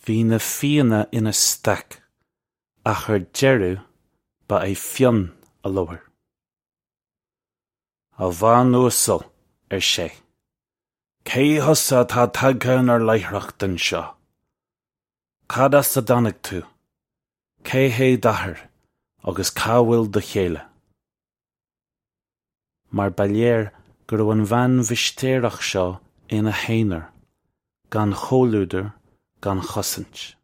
Bhí na Fianna ina staic, ach ar deireadh ba é Fionn a labhair. "A bhean uasal," ar sé, "cé thusa atá tagtha inár láithreacht anseo? Cad as a dtáinig tú? Cé hé d'athair agus cá bhfuil do chéile?" Mar ba léir go raibh an bhean mhistéireach seo ina haonar, gan chomhluadar, gan chosaint.